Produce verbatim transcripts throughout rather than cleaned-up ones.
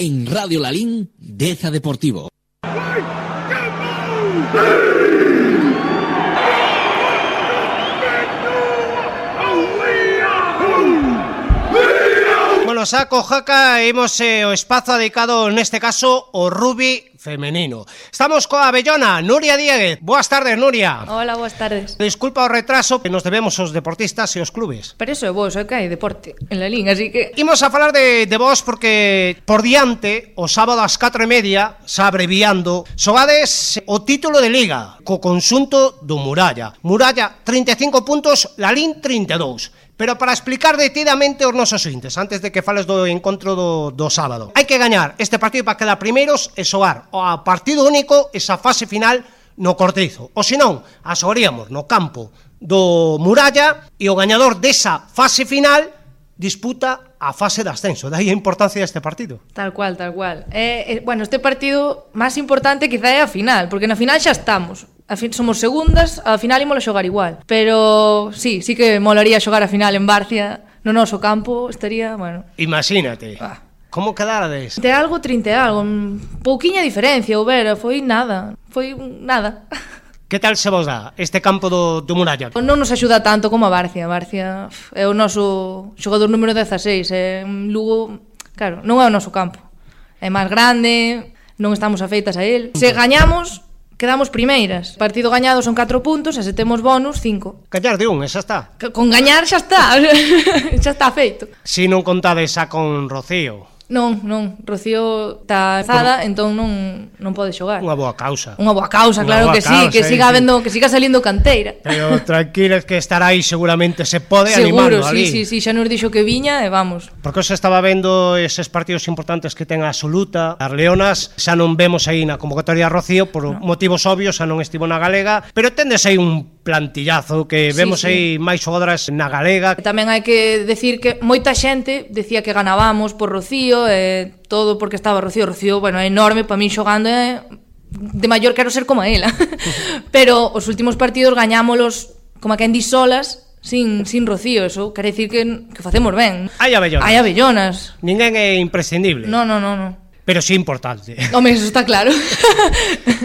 En Radio Lalín, Deza Deportivo. Bueno, saco, jaca, imos eh, o espazo dedicado neste caso ao rugby femenino. Estamos coa Abellona, Nuria Dieguez. Boas tardes, Nuria. Hola, boas tardes. Disculpa o retraso, que nos debemos os deportistas e os clubes. Pero eso é vos, é que hai deporte en Lalín, así que... Imos a falar de, de vos porque por diante, o sábado ás catro e media, xa abreviando, xogades o título de Liga co conxunto do Muralla. Muralla trinta e cinco puntos, Lalín trinta e dous. Pero para explicar detidamente os nosos ointes, antes de que fales do encontro do, do sábado, hai que gañar este partido para quedar primeiros e xogar a partido único esa fase final no Cortizo. Ou senón, a xogaríamos no campo do Muralla e o gañador desa fase final disputa a fase de ascenso. Daí a importancia deste partido. Tal cual, tal cual. Eh, eh, bueno, este partido máis importante quizá é a final, porque na final xa estamos. A fin, somos segundas, a final ímolo xogar igual. Pero sí, sí que molaría xogar a final en Barcia, no noso campo, estaría, bueno... Imagínate. Ah. Como quedarades? De algo, trinta e algo. Pouquiña diferencia, houbera, foi nada. Foi nada. Que tal se vos dá este campo do, do Muralla? Non nos axuda tanto como a Barcia. A Barcia é o noso xogador número dezaseis. É un Lugo, claro, non é o noso campo. É máis grande, non estamos afeitas a él. Se gañamos, quedamos primeiras. Partido gañado son catro puntos e se temos bonus, cinco. Gañar de un, e xa está. Con gañar xa está. Xa está feito. Si non contades xa con Rocío. Non, non, Rocío está zada, entón non non pode xogar. Unha boa causa. Unha boa causa, claro boa que sí, causa, que eh, siga sí. habendo, que siga salindo canteira. Pero tranquiles que estará aí seguramente, se pode Seguro, animando sí, ali. sí, sí, xa nos dixo que viña e vamos. Porque se estaba vendo eses partidos importantes que ten a Absoluta, as Leonas, xa non vemos aí na convocatoria a Rocío por no. motivos obvios, xa non estivo na Galega, pero tendes aí un plantillazo que vemos sí, sí. aí máis xogadoras na Galega. Tamén hai que decir que moita xente decía que ganábamos por Rocío e todo porque estaba Rocío. Rocío, bueno, é enorme, para min xogando é... de maior quero ser como ela. Pero os últimos partidos gañámolos como a quen di solas, sin, sin Rocío. Eso quere dicir que, que facemos ben. Hai abellonas. Hai abellonas. Ninguén é imprescindible. No, no, no, no. Pero sí importante. Home, eso está claro.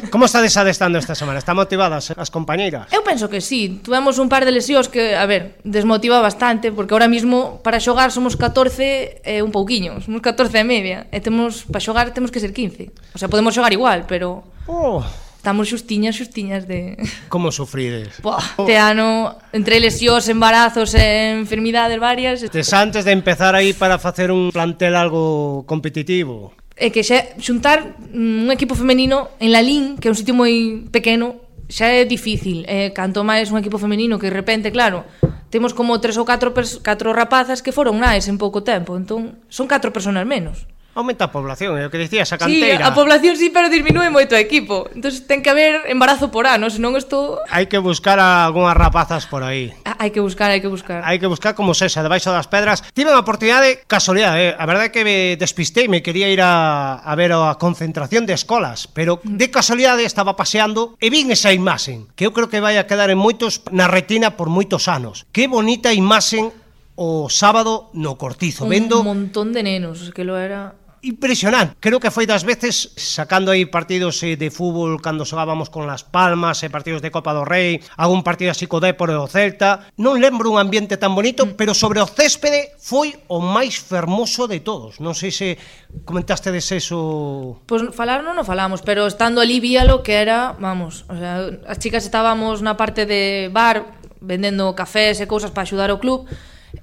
Como estades adestando esta semana? Están motivadas as compañeiras? Eu penso que sí. Tuvemos un par de lesións que, a ver, desmotiva bastante, porque ahora mismo para xogar somos catorce e eh, un pouquiño, somos catorce e media, e temos para xogar temos que ser quince. O sea, podemos xogar igual, pero Oh, estamos xustiñas, xustiñas de... como sufrides? Buah, este ano, entre lesións, embarazos e enfermidades varias... Tes antes de empezar aí para facer un plantel algo competitivo. É que xa xuntar un equipo femenino en Lalín, que é un sitio moi pequeno, xa é difícil. Eh, canto máis un equipo femenino que de repente, claro, temos como tres ou catro, catro rapazas que foron nais en pouco tempo, entón son catro personas menos. Aumenta a población, é o que dicías, a Sí, canteira. a población sí, pero disminúe moito o equipo. Entón ten que haber embarazo por ano, senón isto... Hai que buscar a algunhas rapazas por aí. Ah, hai que buscar, hai que buscar. Hai que buscar como sexa, debaixo das pedras. Tive unha oportunidade, casualidade, eh? A verdade é que me despistei, me quería ir a, a ver a concentración de escolas, pero de casualidade estaba paseando e vin esa imaxen, que eu creo que vai a quedar en moitos na retina por moitos anos. Que bonita imaxen o sábado no Cortizo, Un vendo... montón de nenos, que lo era... Impresionante, creo que foi das veces sacando aí partidos eh, de fútbol cando xogábamos con Las Palmas e eh, partidos de Copa do Rei, algún partido así co Dépor e o Celta. Non lembro un ambiente tan bonito, mm. pero sobre o céspede foi o máis fermoso de todos. Non sei se comentaste de eso. Pois pues, falar non o falamos, pero estando ali víalo que era, vamos, o sea, as chicas estábamos na parte de bar vendendo cafés e cousas para axudar o club.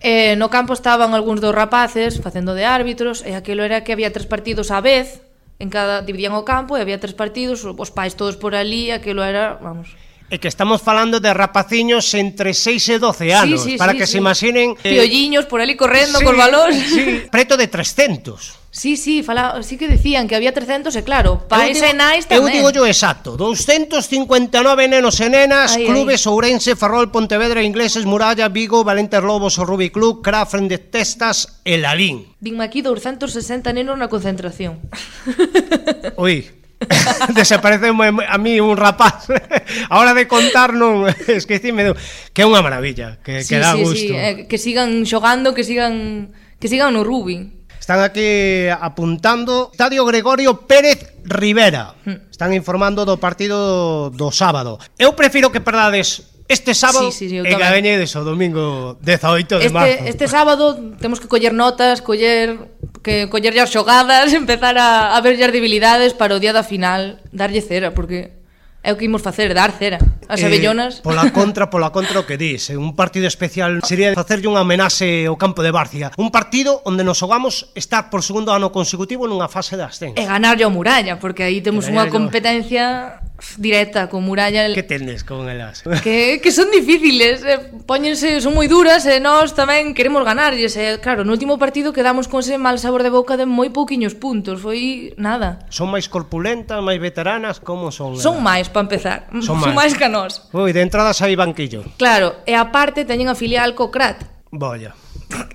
Eh, no campo estaban algúns dos rapaces facendo de árbitros e aquilo era que había tres partidos á vez, en cada dividían o campo e había tres partidos, os pais todos por ali, aquilo era, vamos. E que estamos falando de rapaciños entre seis e doce anos, sí, sí, para sí, que sí. se imaginen... Piolliños por ali correndo sí, col balón. Sí, preto de trescentos. Sí, sí, fala, sí que decían que había trescentos e claro, pais e nais Eu tamén. digo yo exacto, doscientos cincuenta e nove nenos e nenas, Ai, clubes ai. Ourense, Ferrol, Pontevedra, Ingleses, Muralla, Vigo, Valentes Lobos, o Rugby Club, Crafren de Testas e Lalín. Vinme aquí doscientos sesenta nenos na concentración. Ui, desaparece a mí un rapaz. A hora de contar non esquecime, que é unha maravilla, que, Sí, que dá sí, gusto. sí, eh, que sigan xogando, que sigan que sigan no rugby. Están aquí apuntando Estadio Gregorio Pérez Rivera. Están informando do partido do sábado. Eu prefiro que perdades este sábado sí, sí, sí, e que gañedes o domingo dezaoito de este, marzo. Este sábado temos que coller notas, coller que coller as xogadas, empezar a, a ver as debilidades para o día da final darlle cera, porque é o que imos facer, dar cera as abellonas. Eh, pola contra, pola contra o que dis, un partido especial sería facerlle unha homenaxe ao campo de Barcia, un partido onde nos xogamos estar por segundo ano consecutivo nunha fase de ascenso. E ganarlle ao Muralla, porque aí temos unha competencia directa con Muralla. Que tendes con elas? Que, que son difíciles, eh, póñense, son moi duras e nós tamén queremos ganarlles. E claro, no último partido quedamos con ese mal sabor de boca de moi pouquiños puntos, foi nada. Son máis corpulentas, máis veteranas, como son? Son máis, para empezar, son, son máis que nós. Ui, de entradas hai banquillo. Claro, e aparte teñen a filial co Crat. Bolla.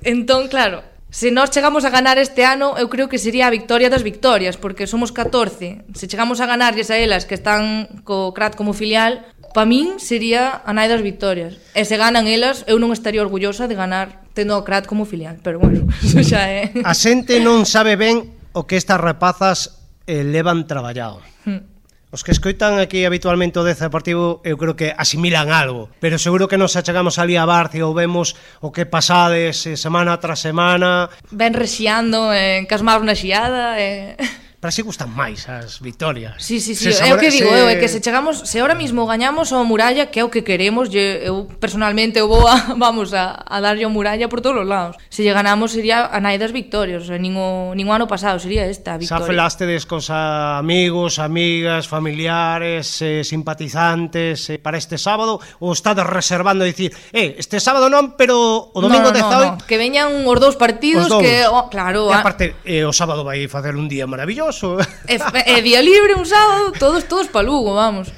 Entón, claro, se nós chegamos a ganar este ano, eu creo que sería a victoria das victorias, porque somos catorce. Se chegamos a ganarlles a elas que están co Crat como filial, pa min sería a nai das victorias. E se ganan elas, eu non estaría orgullosa de ganar tendo o Crat como filial, pero bueno, eso xa é. A xente non sabe ben o que estas rapazas eh, levan traballado. Hmm. Os que escoitan aquí habitualmente o Deza Deportivo eu creo que asimilan algo, pero seguro que nos achegamos ali a Barcia ou vemos o que pasades semana tras semana. Ven rexiando, eh, casmaos na xiada, eh... Para si gustan máis as victorias. Sí, sí, sí, é o que digo eu, é que se chegamos, se ahora mismo gañamos ao Muralla, que é o que queremos, eu personalmente eu vou a, vamos a, a darlle ao Muralla por todos os lados. Se lle ganamos sería a nai das victorias, o sea, nin o, nin o ano pasado sería esta a victoria. Xa falastedes cos amigos, amigas, familiares, eh, simpatizantes eh, para este sábado, ou estades reservando a dicir, eh, este sábado non, pero o domingo no, no, dezaoito... No, no, que veñan os dous partidos, os dous. Que, oh, claro... E aparte, eh, o sábado vai facer un día maravilloso. É, é día libre un sábado, todos todos pa Lugo, vamos.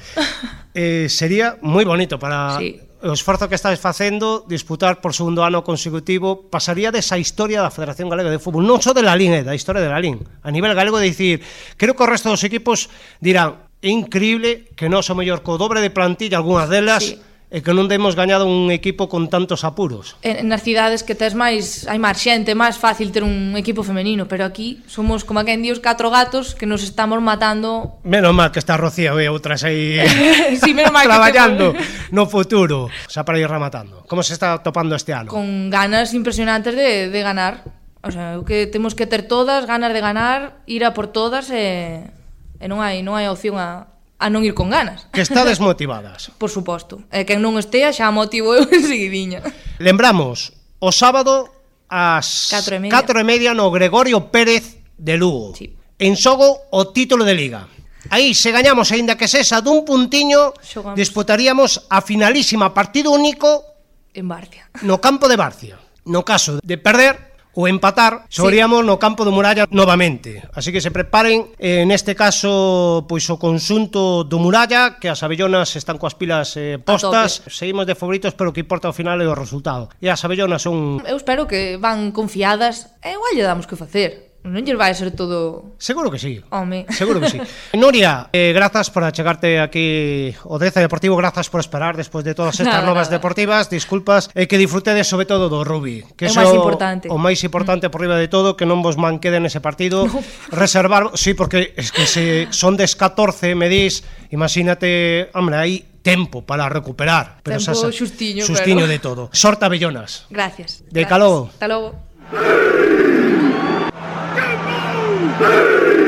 Eh, sería moi bonito para sí. O esforzo que estáis facendo, disputar por segundo ano consecutivo, pasaría desa historia da Federación Galega de Fútbol, non só de la Lín, eh, da historia de la Lín, a nivel galego, de dicir, creo que o resto dos equipos dirán, é increíble que nós o mellor co dobre de plantilla, algunhas delas, sí. E que non demos gañado un equipo con tantos apuros. En, nas cidades que tes máis, hai máis xente, máis fácil ter un equipo femenino, pero aquí somos como quen di os catro gatos que nos estamos matando. Menos mal que está Rocío e outras aí sí, menos mal traballando que te... no futuro, xa para ir rematando. Como se está topando este ano? Con ganas impresionantes de, de ganar. O sea, o que temos que ter todas, ganas de ganar, ir a por todas e, e non hai non hai opción a a non ir con ganas. Que está desmotivadas. Por suposto. E quen non estea xa motivo eu enseguidiña. Lembramos, o sábado ás catro e media no Gregorio Pérez de Lugo. Sí. En xogo o título de Liga. Aí, se gañamos, aínda que sesa dun puntiño, xogamos. Disputaríamos a finalísima partido único en Barcia. No campo de Barcia. No caso de perder ou empatar, xogaríamos sí. No campo do Muralla novamente. Así que se preparen, eh, neste caso, pois o conxunto do Muralla, que as abellonas están coas pilas eh, postas, seguimos de favoritos, pero o que importa ao final é o resultado. E as abellonas son... Eu espero que van confiadas, e igual lle damos que facer. Non lle vai a ser todo... Seguro que sí. Home. Seguro que sí. Nuria, eh, grazas por achegarte aquí o Deza Deportivo, grazas por esperar despois de todas estas nada, novas nada. Deportivas, disculpas, e eh, que disfrutedes sobre todo do rugby, que é o máis importante. O máis importante mm. por riba de todo, que non vos manqueden ese partido, no. Reservar, sí, porque es que se son des catorce, me dis, imagínate, hombre, aí tempo para recuperar, pero tempo xa, xustiño, xustiño pero... de todo. Sorte abellonas. Gracias. De gracias. caló. Hasta logo. Hey!